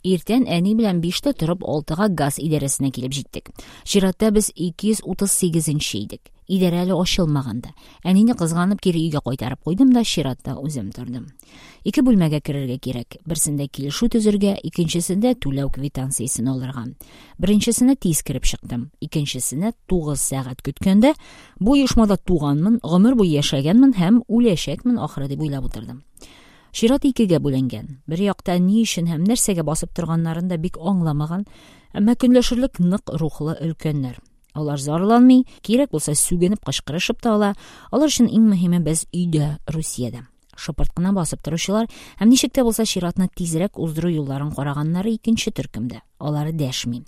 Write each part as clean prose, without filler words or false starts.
Иртән әни белән 5тә торып 6га газ идарәсенә килеп җиттек. Чиратта без 238 нче идек. Идарә әле ачылмаган да. Әнине кызганып кире өйгә кайтарып куйдым да чиратта үзем тордым. Ике бүлмәгә керергә кирәк. Берсендә килешү төзергә, икенчесендә түләү квитанциясен алырга. Беренчесенә тиз кереп чыктым. Икенчесенә 9 сәгать көткәндә, бу оешмада туганмын, гомер буе яшәгәнмен һәм үләчәкмен ахры дип уйлап утырдым. Чират икегә бүленгән. Бер якта ни өчен һәм нәрсәгә басып торганнарын да бик аңламаган, әмма көнләшерлек нык рухлы өлкәннәр. Алар зарланмый, кирәк булса сүгенеп кычкырышып та ала. Алар өчен иң мөһиме без өйдә, Русиядә. Шыпырт кына басып торучылар һәм ничек тә булса чиратны тизрәк уздыру юлларын караганнары икенче төркемдә. Алар дәшми.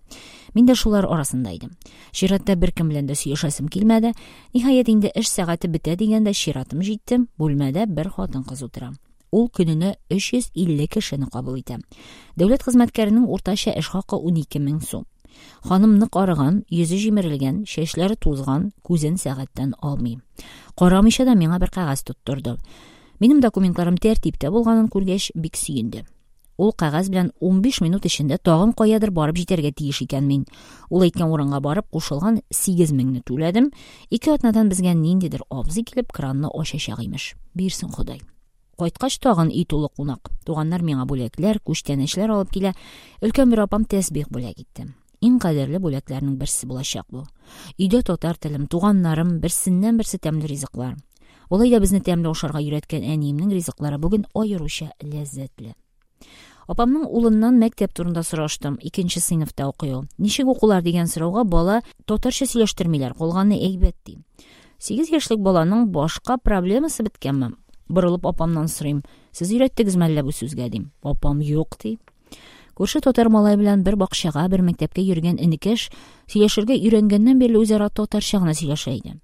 Мин дә шулар арасында идем. Чиратта беркем белән дә сөйләшәсем килмәде. Ниһаять, инде эш сәгате бетә дигәндә чиратым җитте. Бүлмәдә бер хатын-кыз утыра. Ул көненә 350 кешене кабул итә. Дәүләт хезмәткәренең уртача эш хакы 12 мең сум. Ханым нык арыган, йөзе җимерелгән, чәчләре тузган, күзен сәгатьтән алмый. Карамыйча да миңа бер кәгазь тоттырды. Минем документларым тәртиптә булганын күргәч, бик сөенде. Ул кәгазь белән 15 минут эчендә тагын каядыр барып җитәргә тиеш икән мин. Ул әйткән урынга барып, кушылган 8 меңне түләдем. Ике атнадан безгә ниндидер абзый килеп кранны ачачак имеш. Бирсен Ходай. Кайткач тагын өй тулы кунак. Туганнар миңа бүләкләр, күчтәнәчләр алып килә. Өлкән бер апам тәсбих бүләк итте. Иң кадерле бүләкләрнең берсе булачак бу. Өйдә татар телем, туганнарым, берсеннән-берсе тәмле ризыклар. Алай да безне тәмле ашарга өйрәткән әниемнең ризыклары бүген аеруча ләззәтле. Апамның улыннан мәктәп турында сораштым. Икенче сыйныфта укый ул. Ничек укулар дигән сорауга бала татарча сөйләштермиләр, калганы әйбәт ди. 8 яшьлек баланың башка проблемасы беткәнме? Борылып апамнан сорыйм. Сез өйрәттегезме әллә бу сүзгә дим. Апам юк ди. Күрше татар малай белән бер бакчага, бер мәктәпкә йөргән энекәш сөйләшергә өйрәнгәннән бирле үзара татарча гына сөйләшә иде.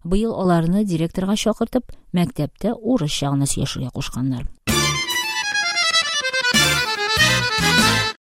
Быел аларны директорга чакыртып, мәктәптә урысча гына сөйләшергә кушканнар.